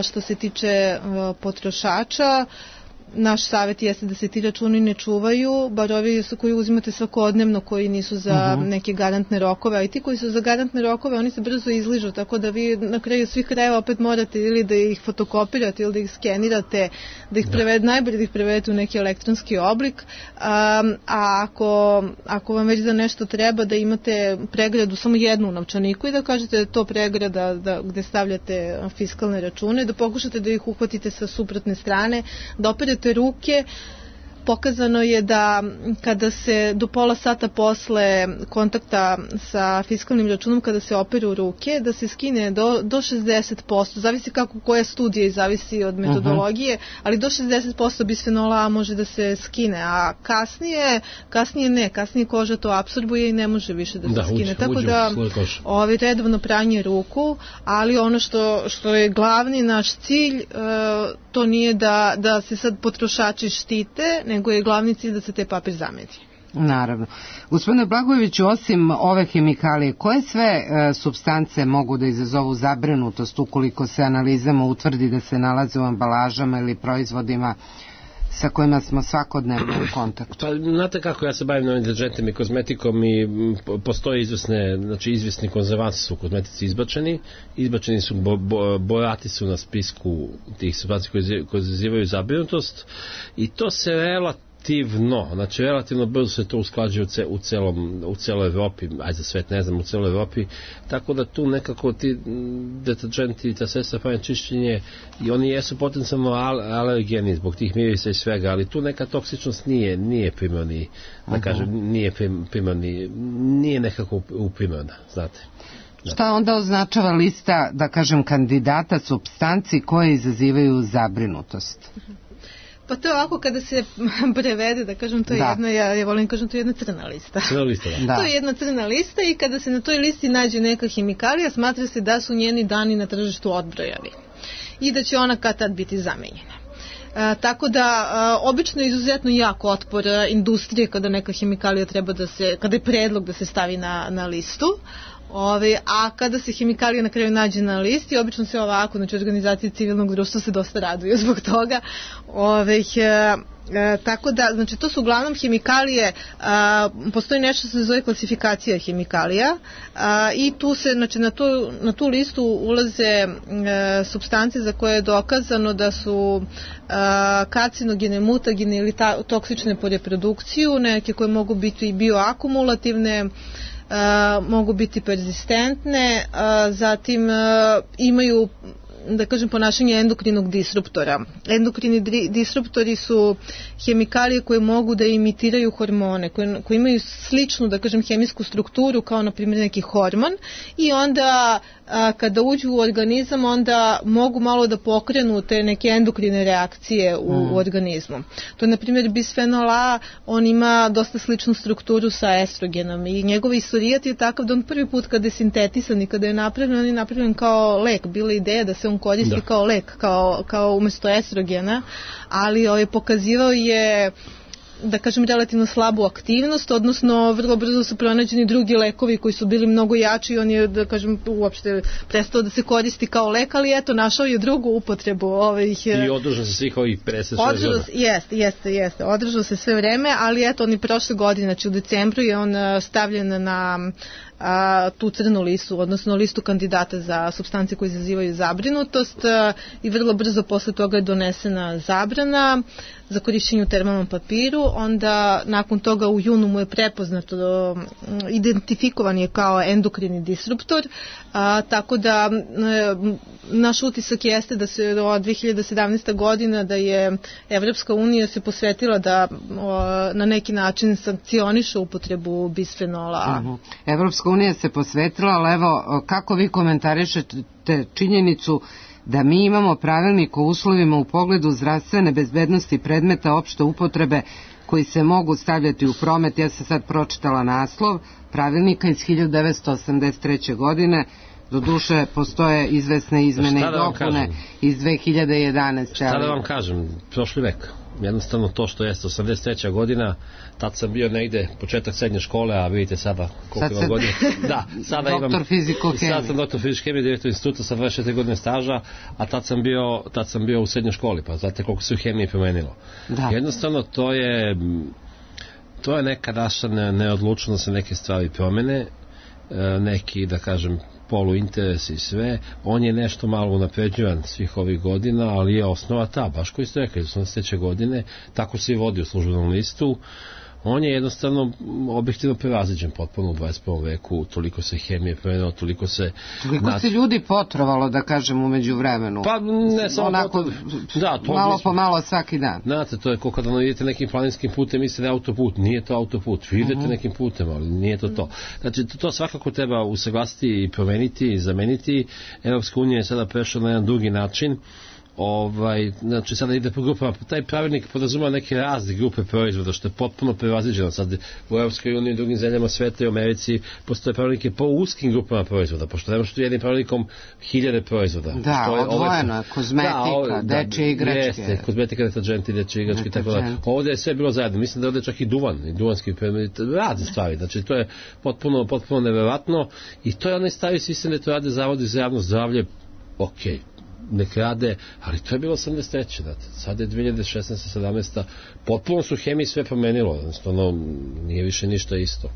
Što se tiče potrošača, naš savjet jeste da se ti računi ne čuvaju, bar ovi koji uzimate svakodnevno, koji nisu za neke garantne rokove, a i ti koji su za garantne rokove, oni se brzo izližu, tako da vi na kraju svih krajeva opet morate ili da ih fotokopirate ili da ih skenirate, da ih prevedete, najbolje da ih prevedete u neki elektronski oblik, a ako vam već za nešto treba da imate pregradu samo jednu u novčaniku i da kažete da je to pregrada gde stavljate fiskalne račune, da pokušate da ih uhvatite sa suprotne strane, da operete ruke. Pokazano je da kada se do pola sata posle kontakta sa fiskalnim računom, kada se operu ruke, da se skine do 60%, zavisi koja studija i zavisi od metodologije, ali do 60% bisfenola A može da se skine, a kasnije koža to apsorbuje i ne može više da se skine. Tako da redovno pranje ruku, ali ono što je glavni naš cilj, to nije da se sad potrošači štite, nego je glavni cilj da se taj papir zameni. Naravno. Gospodine Blagojeviću, osim ove hemikalije, koje sve supstance mogu da izazovu zabrinutost ukoliko se analizama utvrdi da se nalaze u ambalažama ili proizvodima sa kojima smo svakodnevno u kontaktu? Pa, znate kako, ja se bavim novim deterđentima i kozmetikom i postoje izvesni konzervansi su u kozmetici izbačeni su, borati su na spisku tih supstanci koji izazivaju zabrinutost i to se relativno brzo se to usklađuje u celoj Evropi, ajde za svet ne znam, u celoj Evropi, tako da tu nekako ti deterđenti i ta sredstva pranja čišćenje i oni jesu potencijalno alergeni zbog tih mirisa i svega, ali tu neka toksičnost nije primarni, da kažem, nije nekako primarna, znate. Šta onda označava lista, da kažem, kandidata supstanci koje izazivaju zabrinutost? Pa to je ovako kada se prevede, da kažem, to je jedna, ja volim kažem, to je jedna crna lista. Da. To je jedna crna lista i kada se na toj listi nađe neka hemikalija, smatra se da su njeni dani na tržištu odbrojani i da će ona kad tad biti zamenjena. Tako da obično je izuzetno jak otpor industrije kada neka hemikalija treba kada je predlog da se stavi na listu. A kada se hemikalija na kraju nađe na listi, obično se ovako, znači organizacije civilnog društva se dosta raduju zbog toga. Tako da, znači to su uglavnom hemikalije, postoji nešto što se zove klasifikacija hemikalija i tu se, znači na tu listu ulaze supstance za koje je dokazano da su karcinogene, mutagene ili toksične po reprodukciju, neke koje mogu biti i bioakumulativne, mogu biti perzistentne, zatim imaju, da kažem, ponašanje endokrinog disruptora. Endokrini disruptori su hemikalije koje mogu da imitiraju hormone, koje imaju sličnu, da kažem, hemijsku strukturu kao, na primjer, neki hormon i onda kada uđu u organizam, onda mogu malo da pokrenu te neke endokrine reakcije u organizmu. To je, na primjer, bisfenol A, on ima dosta sličnu strukturu sa estrogenom i njegov istorijat je takav da on prvi put kada je sintetisan i kada je napravljen, on je napravljen kao lek. Bila je ideja da se on koristi kao lek, kao umesto estrogena, ali pokazivao je, da kažem, relativno slabu aktivnost, odnosno vrlo brzo su pronađeni drugi lekovi koji su bili mnogo jači i on je, da kažem, uopšte prestao da se koristi kao lek, ali eto, našao je drugu upotrebu I održao se svih ovih 56 godina. Jeste, održao se sve vreme, ali eto, on je prošle godine, znači u decembru je on stavljen na tu crnu listu, odnosno listu kandidata za supstance koje izazivaju zabrinutost i vrlo brzo posle toga je donesena zabrana za korišćenje u termalnom papiru, onda nakon toga u junu mu je prepoznato, identifikovan je kao endokrini disruptor, tako da naš utisak jeste da se od 2017. godina da je Evropska unija se posvetila da na neki način sankcioniše upotrebu bisfenola A. Evropska unija se posvetila, ali evo, kako vi komentarišete činjenicu da mi imamo pravilnik o uslovima u pogledu zdravstvene bezbednosti predmeta opšte upotrebe koji se mogu stavljati u promet. Ja sam sad pročitala naslov pravilnika iz 1983. godine, doduše postoje izvesne izmene i dopune iz 2011. Šta da vam kažem, prošli vek. Jednostavno to što jeste 83. godina, tad sam bio negde početak srednje škole, a vidite sada koliko imam godina. Da, sada imam doktor fiziko-hemije. Sad sam doktor fiziko-hemije, direktor instituta sa 24 godine staža, a tad sam bio u srednjoj školi, pa znate koliko se u hemiji promenilo. Da. Jednostavno to je neka naša neodlučnost da se neke stvari promene, neki, da kažem, poluinteres i sve, on je nešto malo unapređivan svih ovih godina, ali je osnova ta, baš koji ste rekli, 83. godine, tako se i vodi u službenom listu, on je jednostavno objektivno prevaziđen potpuno u 21. veku, toliko se hemije promenilo, toliko se ljudi potrovalo, da kažem, umeđu vremenu. Pa ne samo onako, malo po malo svaki dan. Znate, to je kao kada idete nekim planinskim putem, mislite autoput, nije to autoput, vi idete nekim putem, ali nije to. Znači, to svakako treba usaglasiti i promeniti i zameniti. Evropska unija je sada prešla na jedan drugi način. Znači sada ide po grupama, taj pravilnik podrazumeva neke razne grupe proizvoda, što je potpuno prevaziđeno. Sad u Evropskoj uniji i drugim zemljama sveta i u Americi postoje pravilnike po uskim grupama proizvoda, pošto ne možete jednim pravilnikom 1000 proizvoda. Da, odvojeno, kozmetika, dečje igračke. Jeste, kozmetika, deterđenti, dečje igračke i tako da. Ovde je sve bilo zajedno, mislim da je ovde čak i duvan, i duvanski razne stvari, znači to je potpuno neverovatno i to je onaj stavi sistem da to rade zavodi za javno zdravlje, okej. Nek rade, ali to je bilo 83. Sad je 2016. 17. Potpuno su hemiji sve promenilo, jednostavno nije više ništa isto.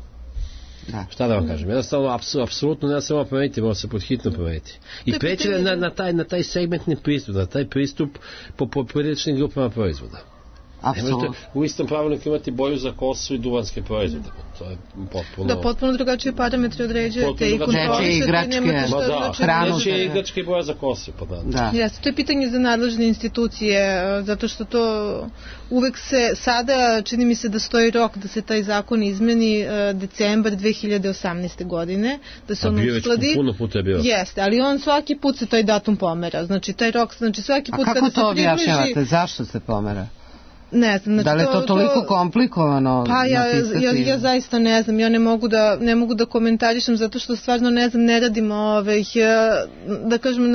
Da. Šta da vam kažem, jednostavno apsolutno ne samo promeniti, mora se pod hitno promeniti i preći na taj segmentni pristup, na taj pristup po pojedinačnim grupama proizvoda. Možete u istom pravilniku imati boju za kosu i duvanske proizvode. To je potpuno... Da, potpuno drugačije parametre određujete i kontrolišete. Dečje igračke i boja za kosu. Jeste, to je pitanje za nadležne institucije, zato što to uvek se sada, čini mi se da stoji rok da se taj zakon izmeni decembar 2018. godine, da se on uskladi. Puno puta je bio. Jeste, ali on svaki put se taj datum pomera. Znači, taj rok, svaki put kada se približi... A kako to objašnjavate? Zašto se pomera? Ne znam, znači da li je to toliko komplikovano? Pa ja zaista ne znam, ja ne mogu da komentarišem zato što stvarno ne znam, ne radim da kažem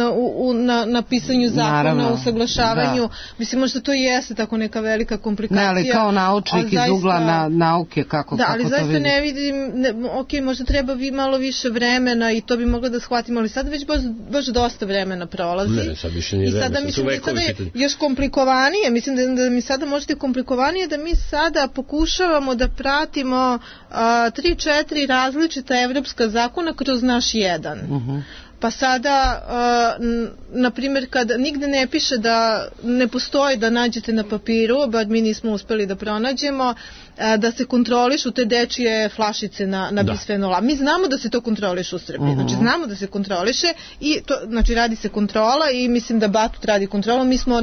na pisanju zakona, u usaglašavanju, mislim možda to i jeste tako neka velika komplikacija. Ne, ali kao naučnik iz ugla nauke, kako to vidim? Da, ali zaista ne vidim, ok, možda treba malo više vremena i to bi mogla da shvatimo, ali sad već baš dosta vremena prolazi. Ne, sad više nije vremena. I sada mislim da sada je još komplikovanije, mislim da mi sada možete komplikovanije da mi sada pokušavamo da pratimo 3-4 različita evropska zakona kroz naš jedan. Pa sada, na primjer, kad nigde ne piše da ne postoji da nađete na papiru, bar mi nismo uspeli da pronađemo, da se kontrolišu te dečije flašice na bisfenol A. Mi znamo da se to kontroliše u Srbiji, znači znamo da se kontroliše i to, znači radi se kontrola i mislim da Batut radi kontrolu. Mi smo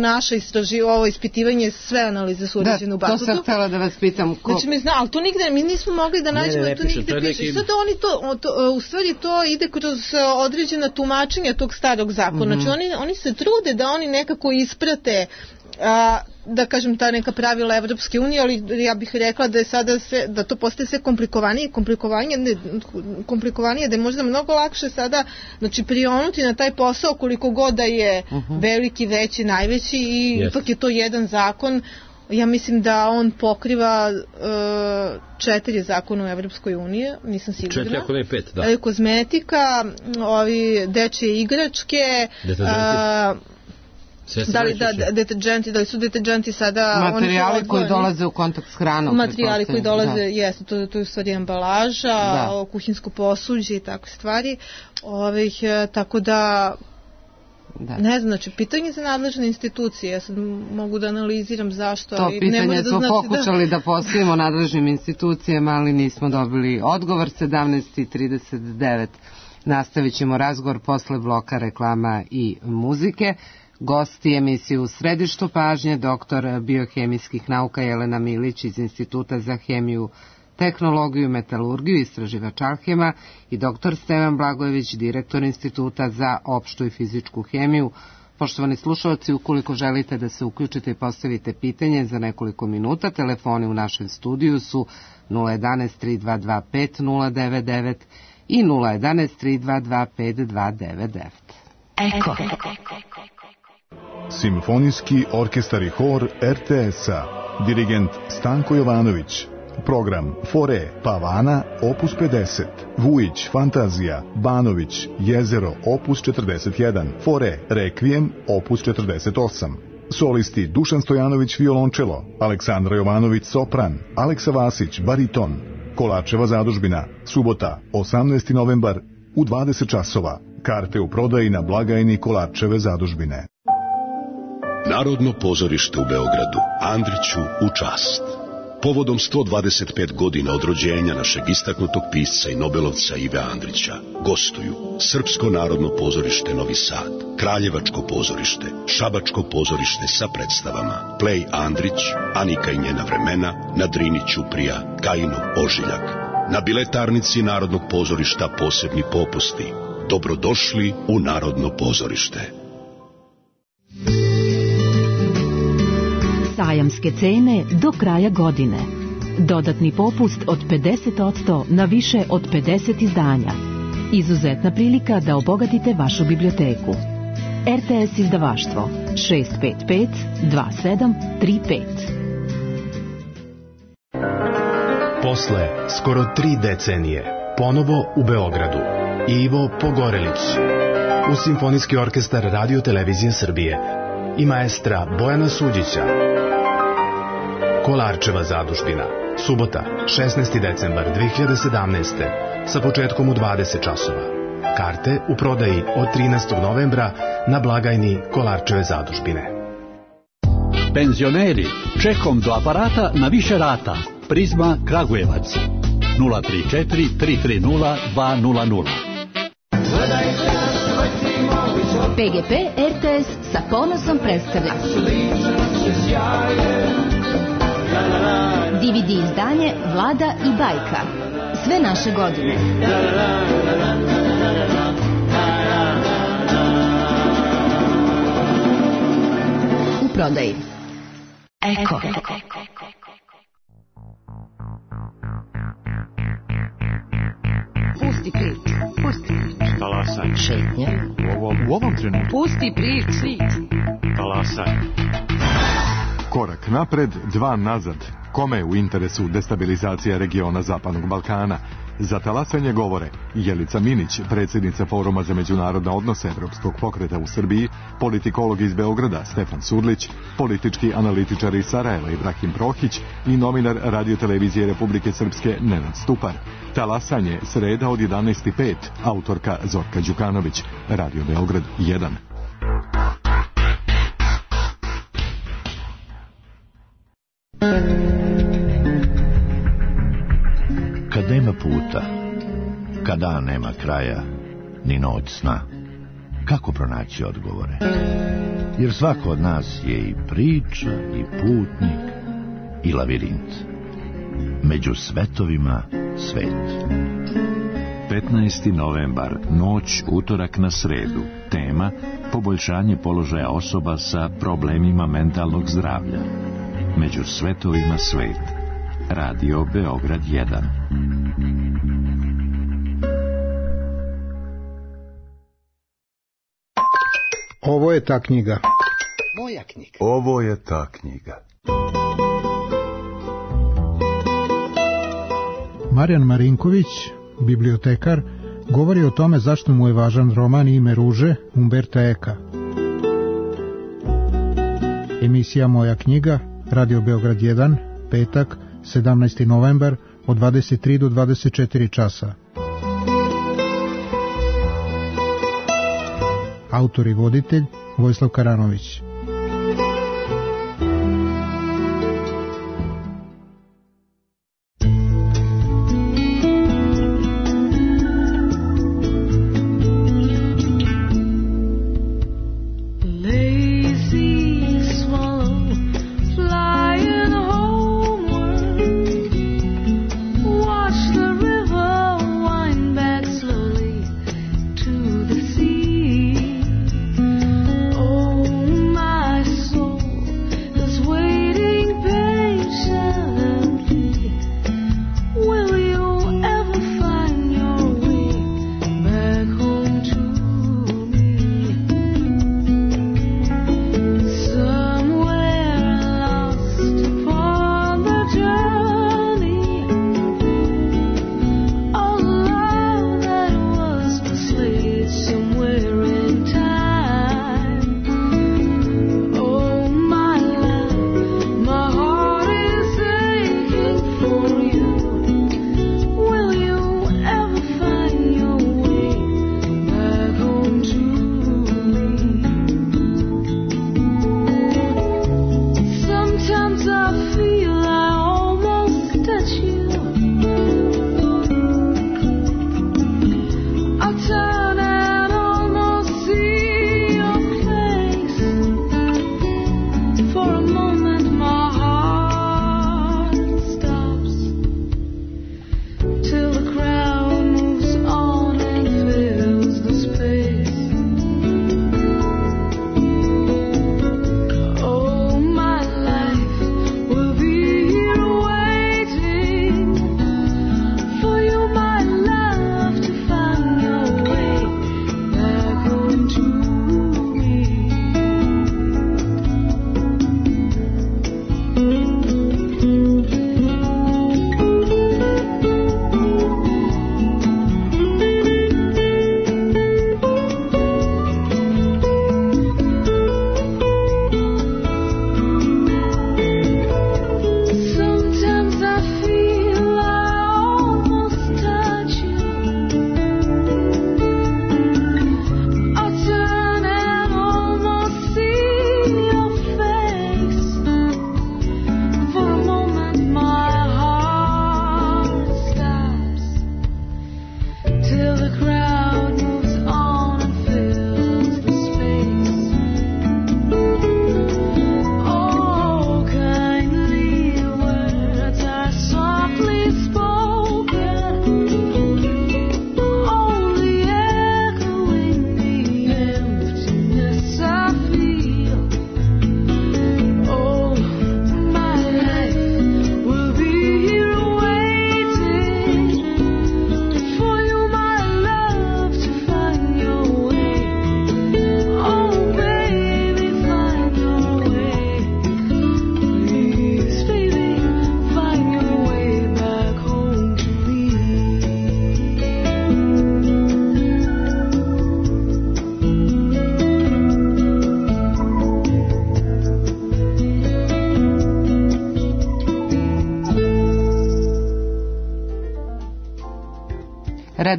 ovo ispitivanje, sve analize su urađene u Batutu. To sam htjela da vas pitam. Znači ali to nigde, mi nismo mogli da nađemo, to nigde piše. I sad oni u stvari to ide kroz određena tumačenja tog starog zakona. Znači oni se trude da oni nekako isprate da kažem ta neka pravila Evropske unije, ali ja bih rekla da je sada da to postaje sve komplikovanije, da je možda mnogo lakše sada znači prionuti na taj posao koliko god da je veliki, veći, najveći i ipak je to jedan zakon. Ja mislim da on pokriva 4 zakona u Evropskoj uniji, nisam sigurna. 4, ako ne 5, da. Kozmetika, dečje igračke, deterđenti, da li su deterđenti sada materijali koji dolaze u kontakt s hranom, materijali koji dolaze, jeste, to je u stvari ambalaža, kuhinjsko posuđe i takve stvari, tako da ne znam, znači pitanje za nadležne institucije, ja sad mogu da analiziram zašto. To pitanje smo pokušali da postavimo nadležnim institucijama, ali nismo dobili odgovor. 17:39. Nastavit ćemo razgovor posle bloka reklama i muzike. Gosti emisije U središtu pažnje, doktor biohemijskih nauka Jelena Milić iz Instituta za hemiju, tehnologiju i metalurgiju, istraživač Alhema, i doktor Stevan Blagojević, direktor Instituta za opštu i fizičku hemiju. Poštovani slušalci, ukoliko želite da se uključite i postavite pitanje za nekoliko minuta, telefoni u našem studiju su 011-3225-099 i 011-3225-299. Eko. Simfonijski orkestar i hor RTS-a. Dirigent Stanko Jovanović. Program Fore Pavana opus 50, Vujić Fantazija, Banović Jezero opus 41, Fore Rekvijem opus 48. Solisti Dušan Stojanović violončelo, Aleksandra Jovanović sopran, Aleksa Vasić bariton. Kolarčeva zadužbina, subota 18. novembar u 20 časova. Karte u prodaji na blagajni Kolarčeve zadužbine. Narodno pozorište u Beogradu, Andriću u čast. Povodom 125 godina od rođenja našeg istaknutog pisca i nobelovca Ive Andrića gostuju Srpsko narodno pozorište Novi Sad, Kraljevačko pozorište, Šabačko pozorište sa predstavama Plej Andrić, Anika i njena vremena, na Drini Ćuprija, Kajinov ožiljak. Na biletarnici Narodnog pozorišta posebni popusti. Dobrodošli u Narodno pozorište. Sajamske cene do kraja godine. Dodatni popust od 50% na više od 50 izdanja. Izuzetna prilika da obogatite vašu biblioteku. RTS izdavaštvo 655 2735. Posle skoro 3 decenije ponovo u Beogradu Ivo Pogorelić uz Simfonijski orkestar Radio Televizije Srbije i maestra Bojana Suđića. Kolarčeva zadužbina, subota 16. decembar 2017. sa početkom u 20 časova. Karte u prodaji od 13. novembra na blagajni Kolarčeve zadužbine. Penzioneri, čekom do aparata na više rata. Prizma Kragujevac 034 330 200. PGP RTS sa ponosom predstavlja DVD izdanje Vlada i bajka. Sve naše godine. U prodaji. Eko. Pusti priču. Talasaj. Šetnja. U ovom trenutku. Pusti priču. Talasaj. Korak napred, 2 nazad. Kome je u interesu destabilizacija regiona Zapadnog Balkana? Za talasanje govore Jelica Minić, predsjednica Foruma za međunarodne odnose Evropskog pokreta u Srbiji, politikolog iz Beograda Stefan Surlić, politički analitičar iz Sarajeva Ibrahim Prohić i novinar Radio-televizije Republike Srpske Nenad Stupar. Talasanje sreda od 11:05, autorka Zorka Đukanović, Radio Beograd 1. Kad nema puta, kada nema kraja, ni noć sna, kako pronaći odgovore? Jer svako od nas je i priča, i putnik, i lavirint. Među svetovima svet. 15. novembar, noć utorak na sredu. Tema: poboljšanje položaja osoba sa problemima mentalnog zdravlja. Među svetovima svet. Radio Beograd 1. Ovo je ta knjiga. Moja knjiga. Ovo je ta knjiga. Marijan Marinković, bibliotekar, govori o tome zašto mu je važan roman Ime ruže Umberta Eka. Emisija Moja knjiga, Radio Beograd 1, petak, 17. novembar, od 23 do 24 časa. Autor i voditelj Vojislav Karanović.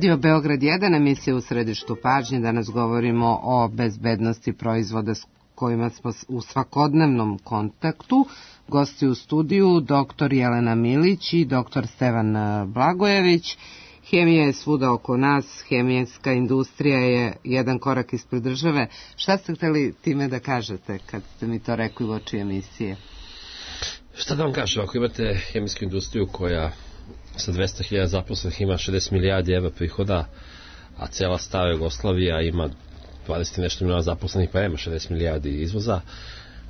Radio Beograd 1, emisija u središtu pažnje. Danas govorimo o bezbednosti proizvoda s kojima smo u svakodnevnom kontaktu. Gosti u studiju dr. Jelena Milić i dr. Stevan Blagojević. Hemija je svuda oko nas, hemijska industrija je jedan korak ispred države. Šta ste hteli time da kažete kad ste mi to rekli u oči emisije? Šta da vam kažem, ako imate hemijsku industriju koja sa 200.000 zaposlenih ima 60 milijardi evra prihoda, a cela stara Jugoslavija ima 20 i nešto miliona zaposlenih, pa ima 60 milijardi izvoza,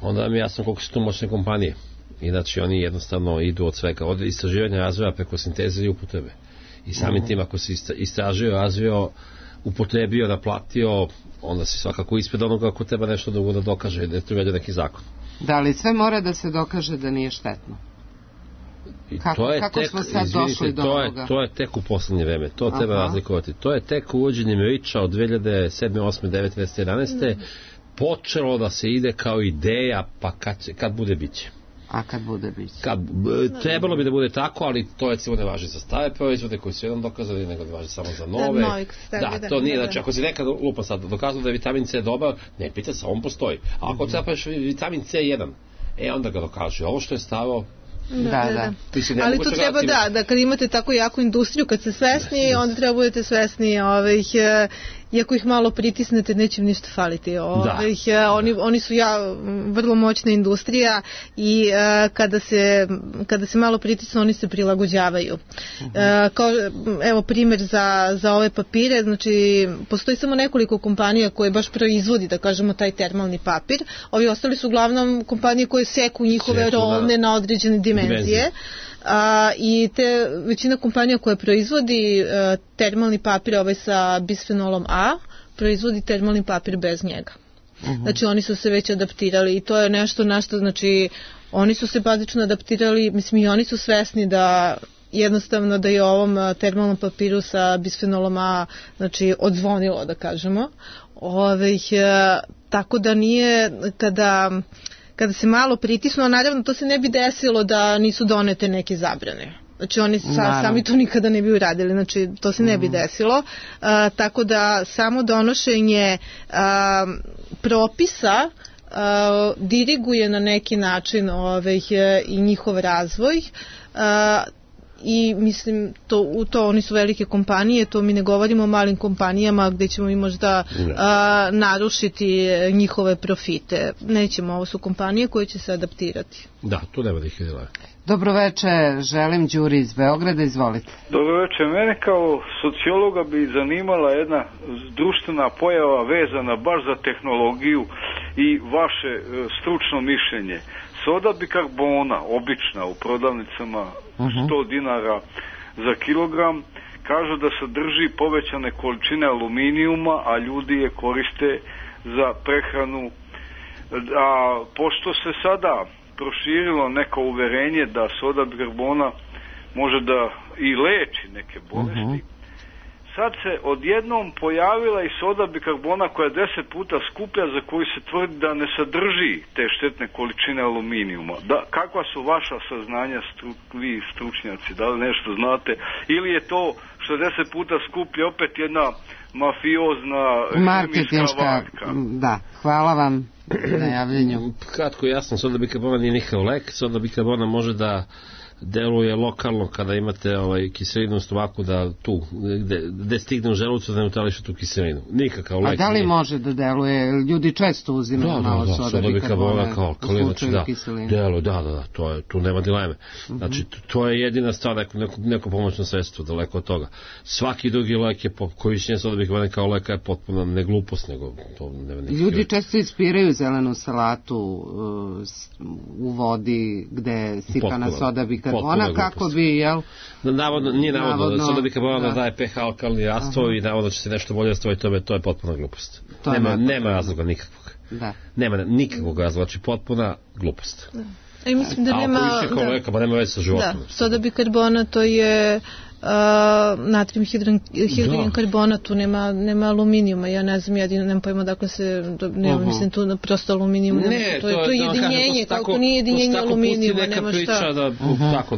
onda vam je jasno koliko su tu moćne kompanije. Inače, oni jednostavno idu od svega, od istraživanja razvoja preko sinteze i upotrebe. I samim tim, ako si istražio, razvio, upotrebio, naplatio, onda si svakako ispred onoga ako treba nešto drugo da dokaže, da je tu vedio neki zakon. Da li sve mora da se dokaže da nije štetno? Kako smo sad došli do ovoga? To je tek u poslednje vreme, to treba razlikovati. To je tek uvođenjem REACH-a od 2007. 8. 9. 10. 11. počelo da se ide kao ideja, pa kad bude biće. A kad bude biće? Trebalo bi da bude tako, ali to recimo ne važi za stare proizvode koji su jedan dokazali, nego ne važi samo za nove. To nije, znači ako si nekad lupa sad dokazano da je vitamin C dobar, ne pita se, on postoji. A ako trebaš vitamin C1, onda ga dokaže. Ovo što je staro, da. Ali to treba da kad imate tako jaku industriju, kad ste svesni, onda treba budete svesni iako ih malo pritisnete, neće im ništa faliti. Oni su vrlo moćna industrija i kada se malo pritisne, oni se prilagođavaju. Evo primjer za ove papire, znači postoji samo nekoliko kompanija koje baš proizvodi, da kažemo, taj termalni papir. Ovi ostali su uglavnom kompanije koje seku njihove rolne na određene dimenzije. I većina kompanija koja proizvodi termalni papir sa bisfenolom A proizvodi termalni papir bez njega. Znači oni su se već adaptirali i to je nešto na što, znači oni su se bazično adaptirali, mislim i oni su svesni da jednostavno da je ovom termalnom papiru sa bisfenolom A, znači odzvonilo, da kažemo. Tako da nije kada se malo pritisnu, a naravno to se ne bi desilo da nisu donete neke zabrane. Znači oni sami to nikada ne bi uradili, znači to se ne bi desilo. Tako da samo donošenje propisa diriguje na neki način i njihov razvoj. I mislim to oni su velike kompanije, to mi ne govorimo o malim kompanijama gdje ćemo mi možda narušiti njihove profite. Nećemo, ovo su kompanije koje će se adaptirati. Da, tu nema da ih idela. Dobro večer, želim Đuri iz Beograda, izvolite. Dobro večer, mene kao sociologa bi zanimala jedna društvena pojava vezana baš za tehnologiju i vaše stručno mišljenje. Soda bikarbona, obična u prodavnicama, 100 dinara za kilogram, kažu da sadrži povećane količine aluminijuma, a ljudi je koriste za prehranu. A pošto se sada proširilo neko uverenje da soda bikarbona može da i leči neke bolesti, sad se odjednom pojavila i soda bikarbona koja je 10 puta skuplja, za koju se tvrdi da ne sadrži te štetne količine aluminijuma. Kakva su vaša saznanja, vi stručnjaci, da li nešto znate, ili je to što je 10 puta skuplje opet jedna mafiozna hemijska varka? Da, hvala vam na javljenju. Kratko jasno, soda bikarbona nije nikakav lek, soda bikarbona može da deluje lokalno kada imate kiselinu u stomaku, da tu gde stigne u želucu da neutrališe tu kiselinu. Nikakav lek. A da li može da deluje? Ljudi često uzimaju malo soda bikarbona kao alkalin, znači deluje, tu nema dileme. Znači to je jedina stvar, neko pomoćno sredstvo, daleko od toga. Svaki drugi lek je korišćenje soda bikarbona kao leka je potpuno ne glupost, nego to nema nikakve. Ljudi često ispiraju zelenu salatu u vodi gde sipana soda bikarbona. Kako bi, jel? Nije navodno, soda bikarbona daje pH alkalni rastvo i navodno će se nešto bolje rastovati, to je potpuna glupost. Nema razloga nikakvog. Nema nikakvog razloga, znači potpuna glupost. I mislim da nema veze sa životom. Soda bikarbona to je natrijum hidrogenkarbona, tu nema aluminijuma, ja ne znam, nemam pojma dakle se, mislim tu prosto aluminijum, to je jedinjenje, kako nije jedinjenje aluminijuma, nema šta. Tako,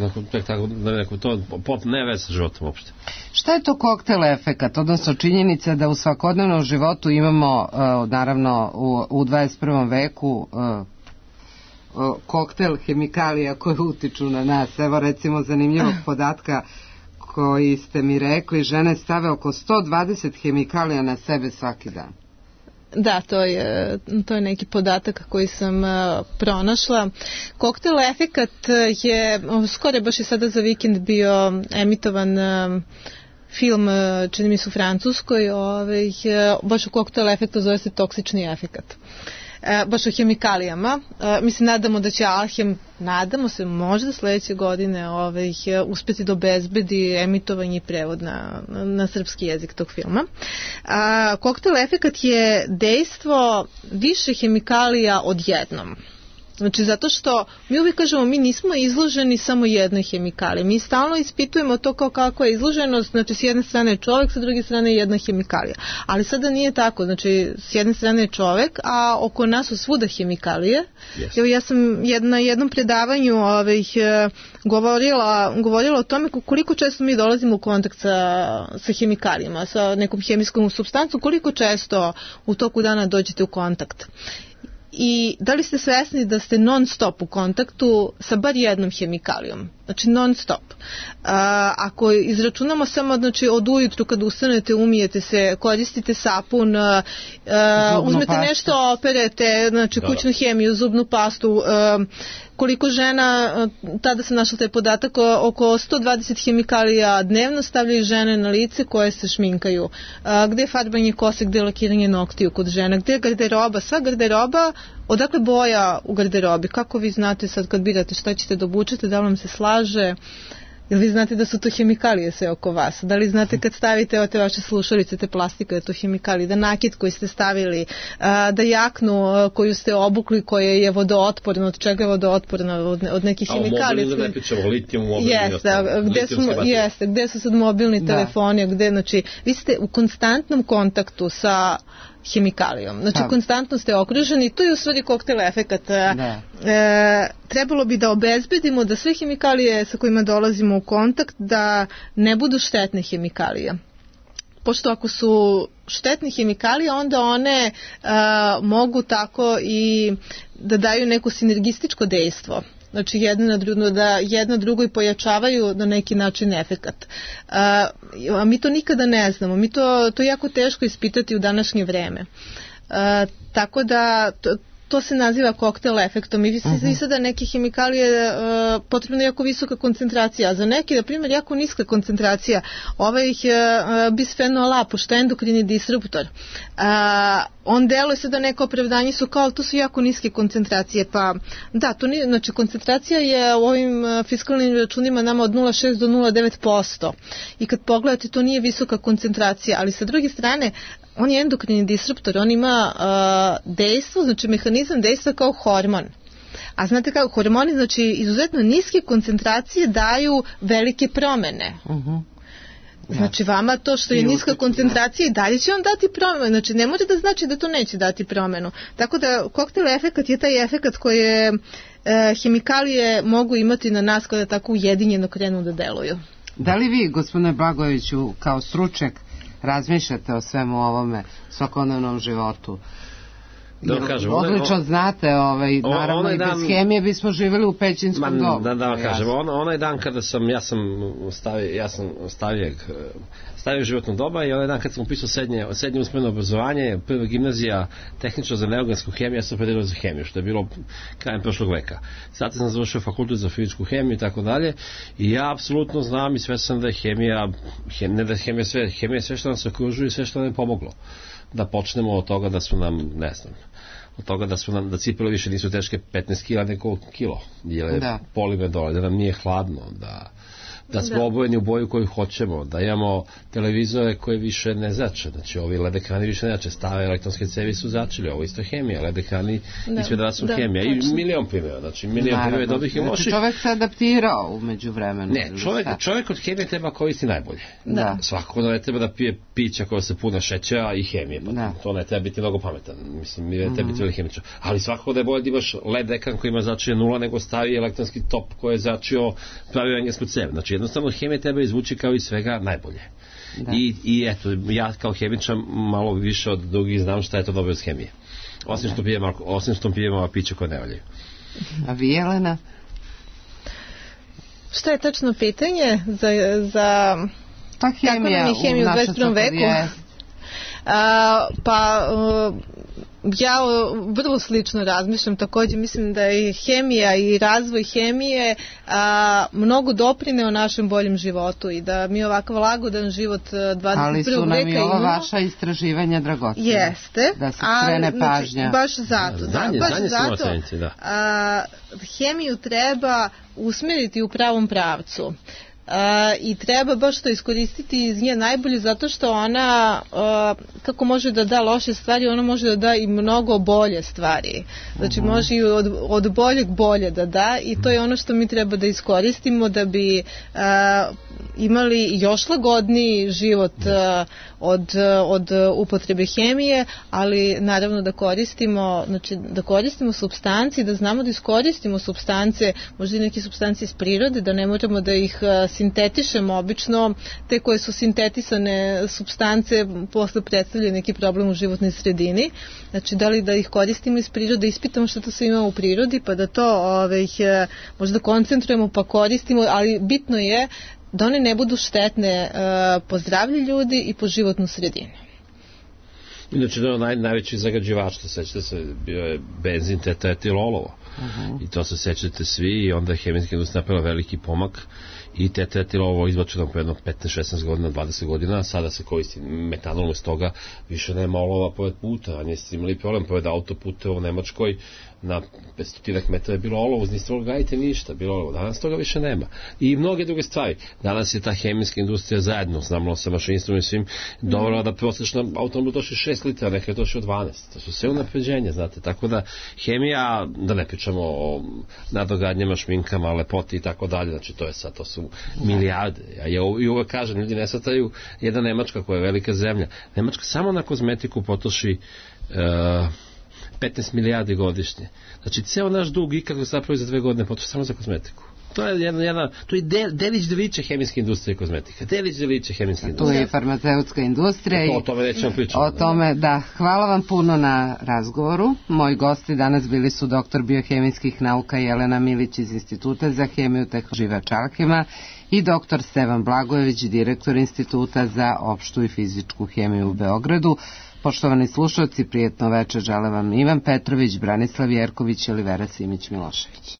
to ne veze sa životom uopšte. Šta je to koktel efekat, odnosno činjenica da u svakodnevnom životu imamo, naravno u 21. veku, koktel hemikalija koje utiču na nas? Evo recimo zanimljivog podatka koji ste mi rekli, žene stave oko 120 hemikalija na sebe svaki dan. Da, to je neki podatak koji sam pronašla. Koktel efekat je, skoro baš je sada za vikend bio emitovan film, čini mi se u Francuskoj, baš u koktel efektu zove se toksični efekat. Baš o hemikalijama. Mislim, nadamo da će Alhem, nadamo se možda sledeće godine uspeti da obezbedi emitovanje i prevod na srpski jezik tog filma. Koktel efekat je dejstvo više hemikalija odjednom. Znači, zato što mi uvijek kažemo, mi nismo izloženi samo jednoj hemikaliji. Mi stalno ispitujemo to kao kako je izloženost, znači s jedne strane je čovjek, sa druge strane je jedna hemikalija. Ali sada nije tako, znači s jedne strane je čovjek, a oko nas su svuda hemikalije. Yes. Evo, ja sam na jednom predavanju govorila o tome koliko često mi dolazimo u kontakt sa hemikalijama, sa nekom hemijskom supstancom, koliko često u toku dana dođete u kontakt. I da li ste svesni da ste non stop u kontaktu sa bar jednom hemikalijom? Znači non stop. Ako izračunamo samo, znači, od ujutru kad ustanete, umijete se, koristite sapun, uzmete nešto, operete, znači kućnu hemiju, zubnu pastu, koliko žena, tada sam našla taj podatak, oko 120 hemikalija dnevno stavljaju žene na lice koje se šminkaju. Gde je farbanje kose, gde je lakiranje noktiju kod žena, gde je garderoba, sva garderoba, odakle boja u garderobi, kako vi znate sad kad birate šta ćete da obučete, da li vam se slaže, jel vi znate da su to hemikalije sve oko vas, da li znate kad stavite te vaše slušalice, te plastike, da to hemikalije, da nakit koji ste stavili, da jaknu koju ste obukli koje je vodootporno, od čega je vodootporno, od nekih hemikalija. A mobilni da ne pričamo, litijum, gde su sad mobilni telefoni, gde, znači, vi ste u konstantnom kontaktu sa hemikalijom. Znači, konstantno ste okruženi i to je u stvari koktel efekat. Trebalo bi da obezbedimo da sve hemikalije sa kojima dolazimo u kontakt da ne budu štetne hemikalije. Pošto ako su štetne hemikalije, onda one mogu tako i da daju neko sinergističko dejstvo. Znači jedna drugoj pojačavaju na neki način efekat. A mi to nikada ne znamo. Mi to je jako teško ispitati u današnje vreme. Tako da to se naziva koktel efektom. I sada neke hemikalije potrebna je jako visoka koncentracija, a za neke, na primjer, jako niska koncentracija. Bisfenol A, pošto je endokrini disruptor, on deluje sada neko opravdanje su kao, to su jako niske koncentracije, pa da, to nije, znači koncentracija je u ovim fiskalnim računima nama od 0,6 do 0,9%. I kad pogledate, to nije visoka koncentracija, ali sa druge strane, on je endokrini disruptor, on ima dejstvo, znači mehanizam dejstva kao hormon. A znate kako, hormoni, znači izuzetno niske koncentracije daju velike promene. Znači vama to što je niska koncentracija i dalje će vam dati promenu, znači ne može da znači da to neće dati promenu. Tako da koktel efekat je taj efekat koje hemikalije mogu imati na nas kada tako ujedinjeno krenu da deluju. Da li vi, gospodine Blagojeviću, kao stručnjak razmišljate o svemu ovome svakodnevnom životu? Odlično znate, naravno i bez hemije bismo živjeli u pećinskom dobu. Da kažem, onaj dan kada sam stavio životnog doba i onaj dan kad sam upisao srednje usmeno obrazovanje, prva gimnazija tehnička za neorgansku hemiju, ja sam opredelio za hemiju, što je bilo krajem prošlog veka. Sad sam završio fakultet za fizičku hemiju i tako dalje i ja apsolutno znam i sve sam da je hemija, ne da je hemija sve što nam se okružuje i sve što nam je pomoglo. Da počnemo od toga da su nam, ne znam, od toga da cipele više nisu teške 15 kila nego kilo, jer je polimer dole, da nam nije hladno, da smo obojeni u boju koju hoćemo, da imamo televizore koje više ne zrače, znači ovi LED ekrani više ne zrače, stare elektronske cevi su zračili, ovo isto hemija, LED ekrani ispred vas su hemija i milion primjera, znači milion primjera dobrih i loših. Čovjek se adaptirao umeđu vremenu. Ne, čovjek od hemije treba koristi najbolje. Svako ne treba da pije pića koja se puna šećera i hemije, to ne treba biti mnogo pametan, mislim, ne treba biti veliki hemičar, ali svakako da je bolje da imaš LED ekran koji ima zračenje 0 nego stari elektronski top koji je zračio pravi englesku cev, znači jednostavno hemije treba izvući kao i svega najbolje. I eto, ja kao hemičar malo više od drugih znam šta je to dobro iz hemije. Osim što pijemo piće koje ne valjaju. A vi, Jelena? Šta je tačno pitanje za kako nam je hemija u 21. veku? Ja vrlo slično razmišljam, također mislim da je hemija i razvoj hemije mnogo doprineo našem boljem životu i da mi ovakav lagodan život 21. veka imamo. Ali su nam i ova vaša istraživanja dragocena. Jeste. Da se skrene pažnja. Baš zato. Hemiju treba usmjeriti u pravom pravcu. i treba baš to iskoristiti iz nje najbolje, zato što ona kako može da da loše stvari, ona može da da i mnogo bolje stvari. Znači može i od boljeg bolje da da, i to je ono što mi treba da iskoristimo da bi imali još lagodniji život od upotrebe hemije, ali naravno da koristimo supstanci, da znamo da iskoristimo supstance, možda i neke supstance iz prirode, da ne moramo da ih sintetišemo. Obično te koje su sintetisane supstance posle predstavljaju neki problem u životnoj sredini. Znači, da li da ih koristimo iz prirode, ispitamo što to sve ima u prirodi, pa da to možda koncentrujemo pa koristimo, ali bitno je da one ne budu štetne po zdravlje ljudi i po životnu sredinu. Inače, najveći zagađivač, sećate se, bio je benzin tetraetilolovo. I to se sećate svi, i onda je hemijska industrija napravila veliki pomak i tetraetilovo izbačeno po jedno 15-16 godina, 20 godina, a sada se koristi metanol, iz toga više nema olova pored puta, a niste imali problem pored autoputa u Nemačkoj, na 500 metara je bilo olovo, niste mogli gajiti ništa, bilo olovo. Danas toga više nema. I mnoge druge stvari. Danas je ta hemijska industrija zajedno, znamo sa mašinstvom i svim, dovela da prosječna automobil došli 6 litara, neka je došli 12. To su sve unapređenja, znate. Tako da hemija, da ne pričamo o nadogradnjama, šminkama, lepoti i tako dalje, znači to su milijarde. Ja uvek kažem, ljudi ne shvataju, jedna Nemačka koja je velika zemlja. Nemačka samo na kozmetiku potroši 15 milijardi godišnje. Znači, ceo naš dug ikako se napravi za 2 godine potroši samo za kozmetiku. To je to je delić deliće hemijske industrije kozmetika. Delić deliće hemijske industrije. Tu je i farmaceutska industrija. O tome nećemo pričati. O tome, da. Hvala vam puno na razgovoru. Moji gosti danas bili su doktor biohemijskih nauka Jelena Milić iz Instituta za hemiju Živa Čalkima i doktor Stevan Blagojević, direktor Instituta za opštu i fizičku hemiju u Beogradu. Poštovani slušalci, prijetno večer žele vam Ivan Petrović, Branislav Jerković i Olivera Simić Milošević.